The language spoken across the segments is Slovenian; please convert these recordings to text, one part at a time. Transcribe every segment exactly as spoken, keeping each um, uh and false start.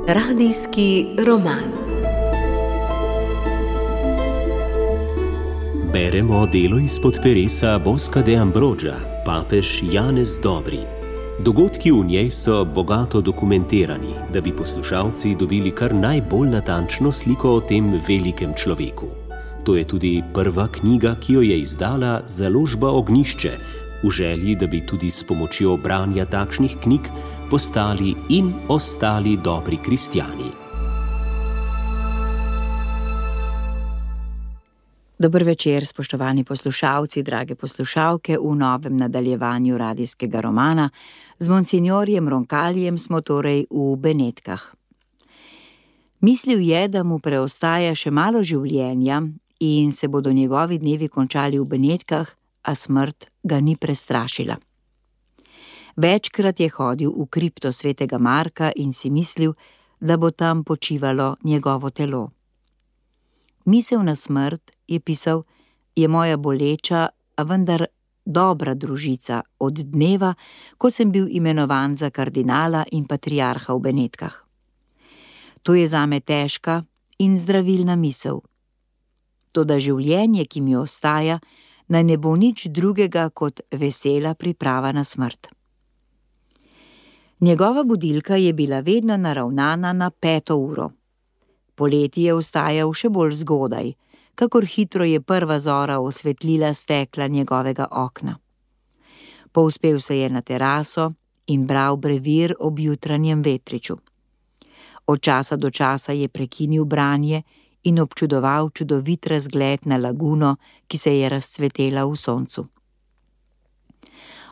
Radijski roman. Beremo delo izpod peresa Bosca de Ambroggia, papež Janez Dobri. Dogodki v njej so bogato dokumentirani, da bi poslušalci dobili kar najbolj natančno sliko o tem velikem človeku. To je tudi prva knjiga, ki jo je izdala založba Ognjišče, v želji, da bi tudi s pomočjo branja takšnih knjig postali in ostali dobri kristjani. Dober večer, spoštovani poslušalci, drage poslušalke, v novem nadaljevanju radijskega romana. Z monsinjorjem Roncallijem smo torej v Benetkah. Mislil je, da mu preostaja še malo življenja in se bodo njegovi dnevi končali v Benetkah, a smrt ga ni prestrašila. Večkrat je hodil v kripto svetega Marka in si mislil, da bo tam počivalo njegovo telo. Misel na smrt, je pisal, je moja boleča, a vendar dobra družica od dneva, ko sem bil imenovan za kardinala in patriarha v Benetkah. To je zame težka in zdravilna misel. Toda življenje, ki mi ostaja, naj ne bo nič drugega kot vesela priprava na smrt. Njegova budilka je bila vedno naravnana na peto uro. Poleti je vstajal še bolj zgodaj, kakor hitro je prva zora osvetlila stekla njegovega okna. Povzpel se je na teraso in bral brevir ob jutranjem vetriču. Od časa do časa je prekinil branje in občudoval čudovit razgled na laguno, ki se je razcvetela v soncu.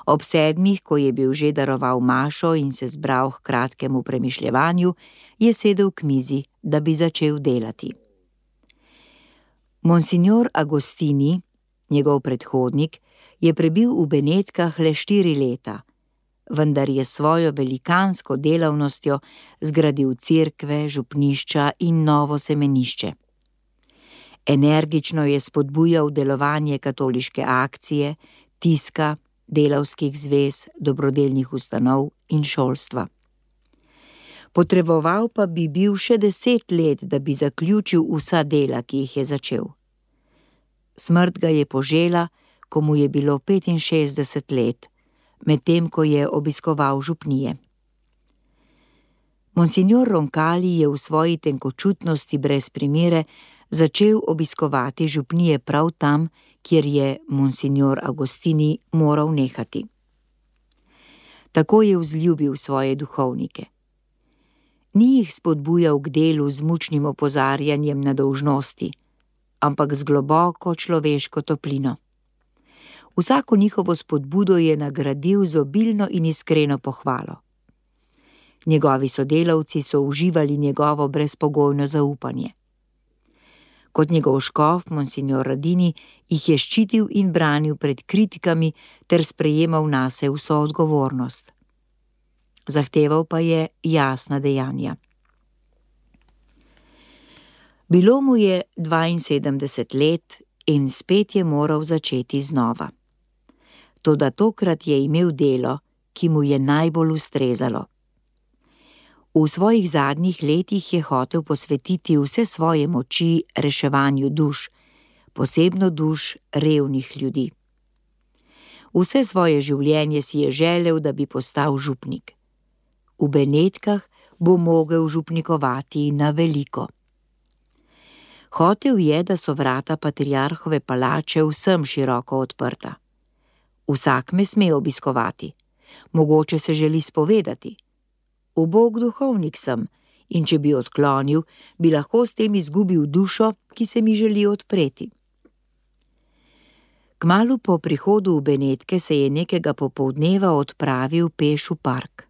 Ob sedmih, ko je bil že daroval mašo in se zbral k kratkemu premišljevanju, je sedel k mizi, da bi začel delati. Monsignor Agostini, njegov predhodnik, je prebil v Benetkah le štiri leta, vendar je svojo velikansko delavnostjo zgradil cerkve, župnišča in novo semenišče. Energično je spodbujal delovanje katoliške akcije, tiska, delavskih zvez, dobrodelnih ustanov in šolstva. Potreboval pa bi bil še deset let, da bi zaključil vsa dela, ki jih je začel. Smrt ga je požela, ko mu je bilo petinšestdeset let, medtem ko je obiskoval župnije. Monsignor Roncalli je v svoji tenkočutnosti brez primere začel obiskovati župnije prav tam, kjer je monsignor Agostini moral nehati. Tako je vzljubil svoje duhovnike. Ni jih spodbujal k delu z mučnim opozarjanjem na dolžnosti, ampak z globoko človeško toplino. Vsako njihovo spodbudo je nagradil z obilno in iskreno pohvalo. Njegovi sodelavci so uživali njegovo brezpogojno zaupanje. Kot njegov škof, monsignor Radini, jih je ščitil in branil pred kritikami ter sprejemal nase vso odgovornost. Zahteval pa je jasna dejanja. Bilo mu je dvainsedemdeset let in spet je moral začeti znova. Toda tokrat je imel delo, ki mu je najbolj ustrezalo. V svojih zadnjih letih je hotel posvetiti vse svoje moči reševanju duš, posebno duš revnih ljudi. Vse svoje življenje si je želel, da bi postal župnik. V Benetkah bo mogel župnikovati na veliko. Hotel je, da so vrata patriarhove palače vsem široko odprta. Vsak me sme obiskovati, mogoče se želi spovedati. Ubog duhovnik sem in če bi odklonil, bi lahko s tem izgubil dušo, ki se mi želi odpreti. Kmalu po prihodu v Benetke se je nekega popoldneva odpravil peš v park.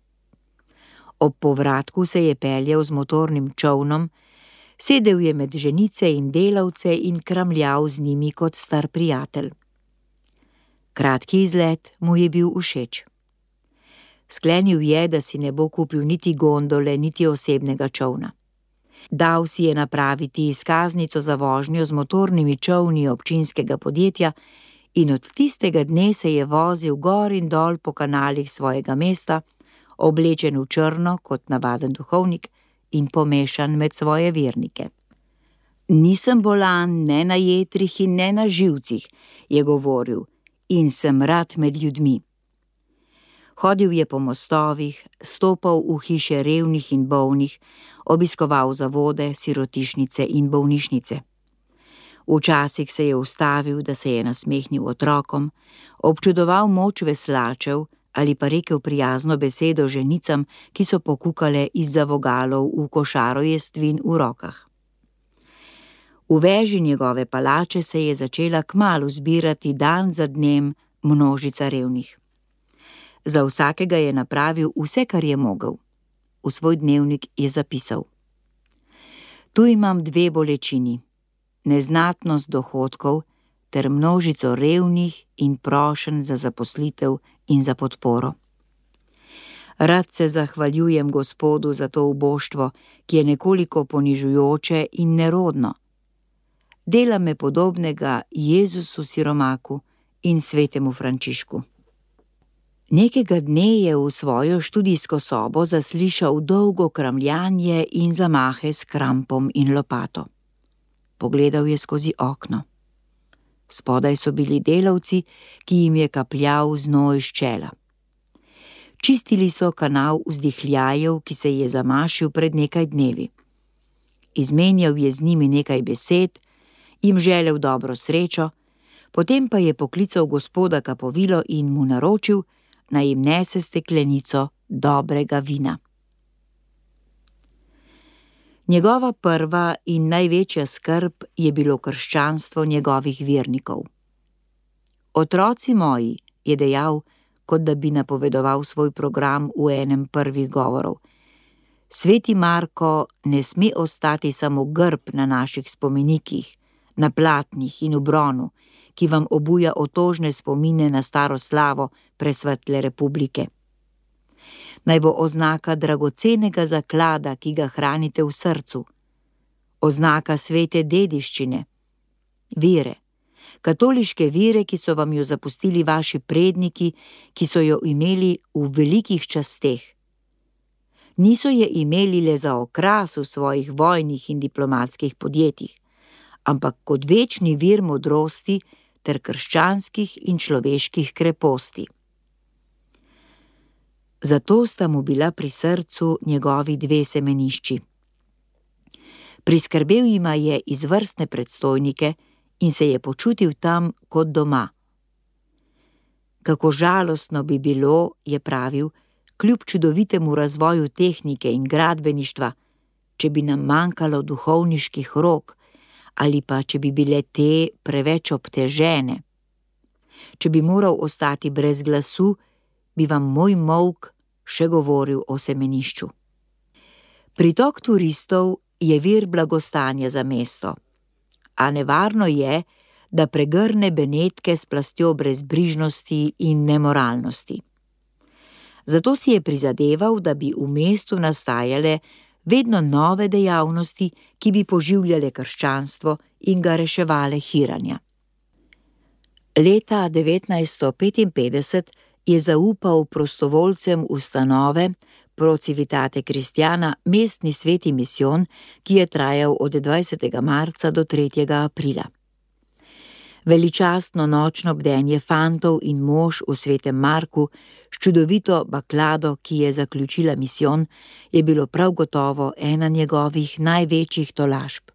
Ob povratku se je peljal z motornim čolnom, sedel je med ženice in delavce in kramljal z njimi kot star prijatelj. Kratki izlet mu je bil všeč. Sklenil je, da si ne bo kupil niti gondole, niti osebnega čolna. Dal si je napraviti izkaznico za vožnjo z motornimi čolni občinskega podjetja in od tistega dne se je vozil gor in dol po kanalih svojega mesta, oblečen v črno kot navaden duhovnik in pomešan med svoje vernike. Nisem bolan ne na jetrih in ne na živcih, je govoril, in sem rad med ljudmi. Hodil je po mostovih, stopal v hiše revnih in bolnih, obiskoval zavode, sirotišnice in bolnišnice. Včasih se je ustavil, da se je nasmehnil otrokom, občudoval moč veslačev ali pa rekel prijazno besedo ženicam, ki so pokukale izza vogalov v košaro jestvin v rokah. V veži njegove palače se je začela kmalu zbirati dan za dnem množica revnih. Za vsakega je napravil vse, kar je mogel. V svoj dnevnik je zapisal: Tu imam dve bolečini, neznatnost dohodkov ter množico revnih in prošenj za zaposlitev in za podporo. Rad se zahvaljujem Gospodu za to uboštvo, ki je nekoliko ponižujoče in nerodno. Dela me podobnega Jezusu siromaku in svetemu Frančišku. Nekega dne je v svojo študijsko sobo zaslišal dolgo kramljanje in zamahe s krampom in lopato. Pogledal je skozi okno. Spodaj so bili delavci, ki jim je kapljal znoj iz čela. Čistili so kanal vzdihljajev, ki se je zamašil pred nekaj dnevi. Izmenjal je z njimi nekaj besed, jim želel dobro srečo, potem pa je poklical gospoda Kapovilo in mu naročil, naj jim nese steklenico dobrega vina. Njegova prva in največja skrb je bilo krščanstvo njegovih vernikov. Otroci moji, je dejal, kot da bi napovedoval svoj program v enem prvih govorov. Sveti Marko ne sme ostati samo grb na naših spomenikih, na platnih in v bronu, ki vam obuja otožne spomine na staro slavo presvetle republike. Naj bo oznaka dragocenega zaklada, ki ga hranite v srcu, oznaka svete dediščine, vere, katoliške vere, ki so vam jo zapustili vaši predniki, ki so jo imeli v velikih časteh. Niso je imeli le za okras v svojih vojnih in diplomatskih podjetjih, ampak kot večni vir modrosti ter krščanskih in človeških kreposti. Zato sta mu bila pri srcu njegovi dve semenišči. Priskrbel jima je izvrstne predstojnike in se je počutil tam kot doma. Kako žalostno bi bilo, je pravil, kljub čudovitemu razvoju tehnike in gradbeništva, če bi nam manjkalo duhovniških rok, ali pa če bi bile te preveč obtežene. Če bi moral ostati brez glasu, bi vam moj molk še govoril o semenišču. Pritok turistov je vir blagostanja za mesto, a nevarno je, da pregrne Benetke s plastjo brezbrižnosti in nemoralnosti. Zato si je prizadeval, da bi v mestu nastajale vedno nove dejavnosti, ki bi poživljale krščanstvo in ga reševale hiranja. Leta devetnajststo petinpetdeset je zaupal prostovoljcem ustanove Pro Civitate Christiana mestni sveti misijon, ki je trajal od dvajsetega marca do tretjega aprila. Veličastno nočno bdenje fantov in mož v svetem Marku s čudovito baklado, ki je zaključila misijon, je bilo prav gotovo ena njegovih največjih tolažb.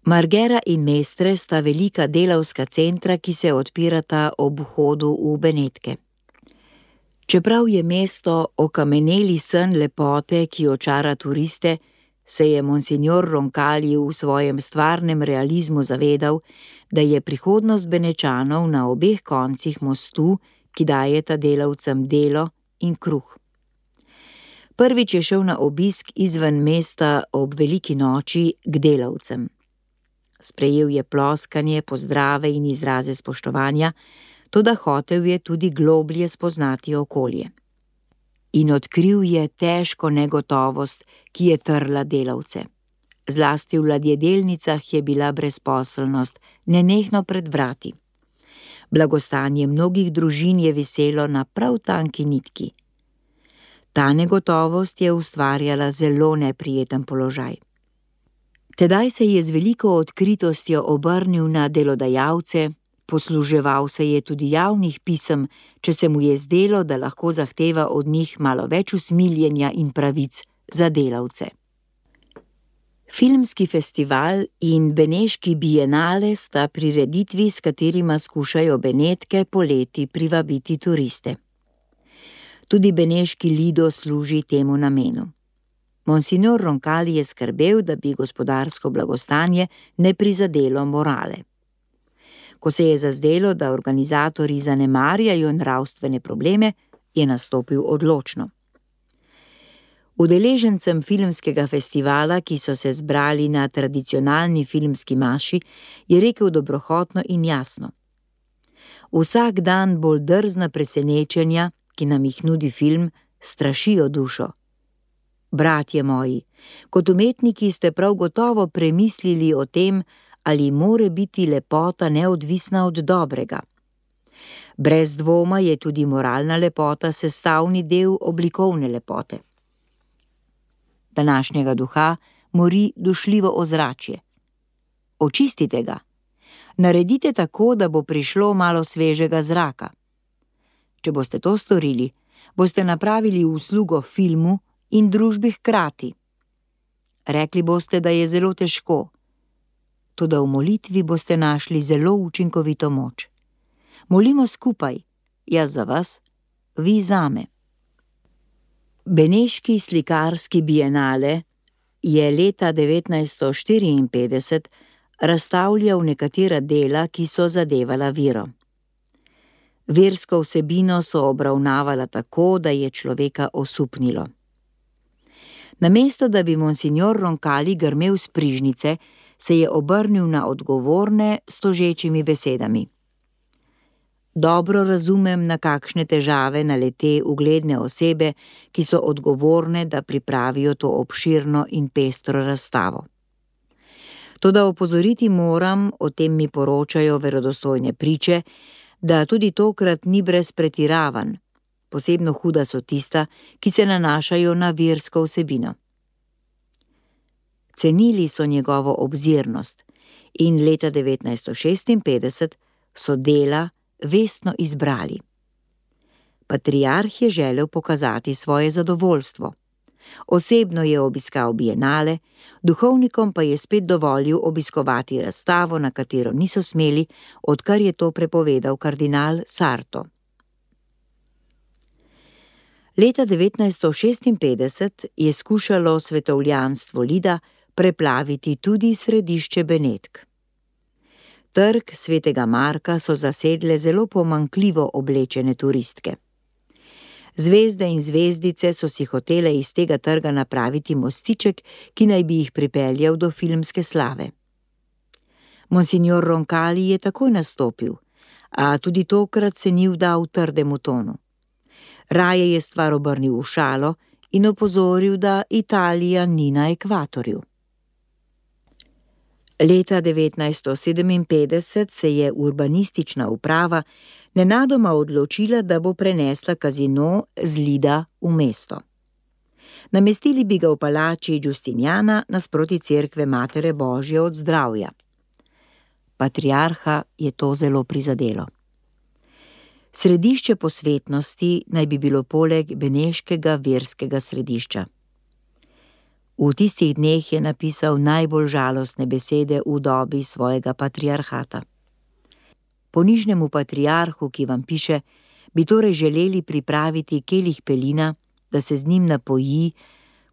Margera in Mestre sta velika delavska centra, ki se odpirata ob vhodu v Benetke. Čeprav je mesto okameneli sen lepote, ki očara turiste, se je monsignor Roncalli v svojem stvarnem realizmu zavedal, da je prihodnost Benečanov na obeh koncih mostu, ki dajeta delavcem delo in kruh. Prvič je šel na obisk izven mesta ob veliki noči k delavcem. Sprejel je ploskanje, pozdrave in izraze spoštovanja, toda hotel je tudi globlje spoznati okolje. In odkril je težko negotovost, ki je trla delavce. Zlasti v ladjedelnicah je bila brezposelnost nenehno pred vrati. Blagostanje mnogih družin je viselo na prav tanki nitki. Ta negotovost je ustvarjala zelo neprijeten položaj. Tedaj se je z veliko odkritostjo obrnil na delodajalce, posluževal se je tudi javnih pisem, če se mu je zdelo, da lahko zahteva od njih malo več usmiljenja in pravic za delavce. Filmski festival in Beneški bienale sta prireditvi, s katerima skušajo Benetke poleti privabiti turiste. Tudi Beneški lido služi temu namenu. Monsignor Roncalli je skrbel, da bi gospodarsko blagostanje ne prizadelo morale. Ko se je zazdelo, da organizatorji zanemarjajo nravstvene probleme, je nastopil odločno. Udeležencem filmskega festivala, ki so se zbrali na tradicionalni filmski maši, je rekel dobrohotno in jasno: Vsak dan bolj drzna presenečenja, ki nam jih nudi film, strašijo dušo. Bratje moji, kot umetniki ste prav gotovo premislili o tem, ali more biti lepota neodvisna od dobrega. Brez dvoma je tudi moralna lepota sestavni del oblikovne lepote. Današnjega duha mori dušljivo ozračje. Očistite ga. Naredite tako, da bo prišlo malo svežega zraka. Če boste to storili, boste napravili uslugo filmu in družbi hkrati. Rekli boste, da je zelo težko, toda v molitvi boste našli zelo učinkovito moč. Molimo skupaj, jaz za vas, vi zame. Beneški slikarski bienale je leta devetnajststo štiriinpetdeset razstavljal nekatera dela, ki so zadevala vero. Versko vsebino so obravnavala tako, da je človeka osupnilo. Namesto da bi monsignor Roncalli grmel s prižnice, se je obrnil na odgovorne s tožečimi besedami. Dobro razumem, na kakšne težave nalete ugledne osebe, ki so odgovorne, da pripravijo to obširno in pestro razstavo. Toda opozoriti moram, o tem mi poročajo verodostojne priče, da tudi tokrat ni brez pretiravanj, posebno huda so tista, ki se nanašajo na versko vsebino. Cenili so njegovo obzirnost in leta devetnajststo šestinpetdeset so dela vestno izbrali. Patriarh je želel pokazati svoje zadovoljstvo. Osebno je obiskal bienale, duhovnikom pa je spet dovolil obiskovati razstavo, na katero niso smeli, odkar je to prepovedal kardinal Sarto. Leta devetnajststo šestinpetdeset je skušalo svetovljanstvo Lida preplaviti tudi središče Benetk. Trg svetega Marka so zasedle zelo pomanjkljivo oblečene turistke. Zvezde in zvezdice so si hotele iz tega trga napraviti mostiček, ki naj bi jih pripeljal do filmske slave. Monsignor Roncalli je takoj nastopil, a tudi tokrat se ni vdal trdemu tonu. Raje je stvar obrnil v šalo in opozoril, da Italija ni na ekvatorju. Leta devetnajststo sedeminpetdeset se je urbanistična uprava nenadoma odločila, da bo prenesla kazino z Lida v mesto. Namestili bi ga v palači Giustiniana nasproti cerkve Matere Božje od zdravja. Patriarha je to zelo prizadelo. Središče posvetnosti naj bi bilo poleg beneškega verskega središča. V tistih dneh je napisal najbolj žalostne besede v dobi svojega patriarhata. Ponižnemu patriarhu, ki vam piše, bi torej želeli pripraviti kelih pelina, da se z njim napoji,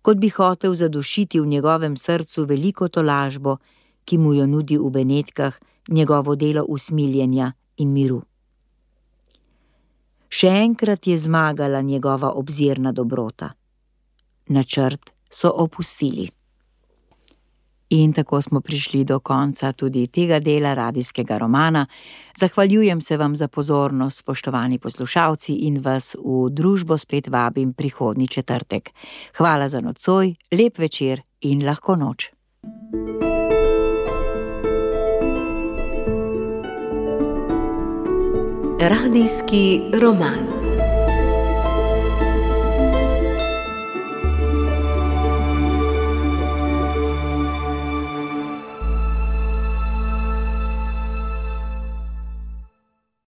kot bi hotel zadušiti v njegovem srcu veliko tolažbo, ki mu jo nudi v Benetkah njegovo delo usmiljenja in miru. Še enkrat je zmagala njegova obzirna dobrota. Načrt so opustili. In tako smo prišli do konca tudi tega dela radijskega romana. Zahvaljujem se vam za pozornost, spoštovani poslušalci, in vas v družbo spet vabim prihodnji četrtek. Hvala za nocoj, lep večer in lahko noč. Radijski roman.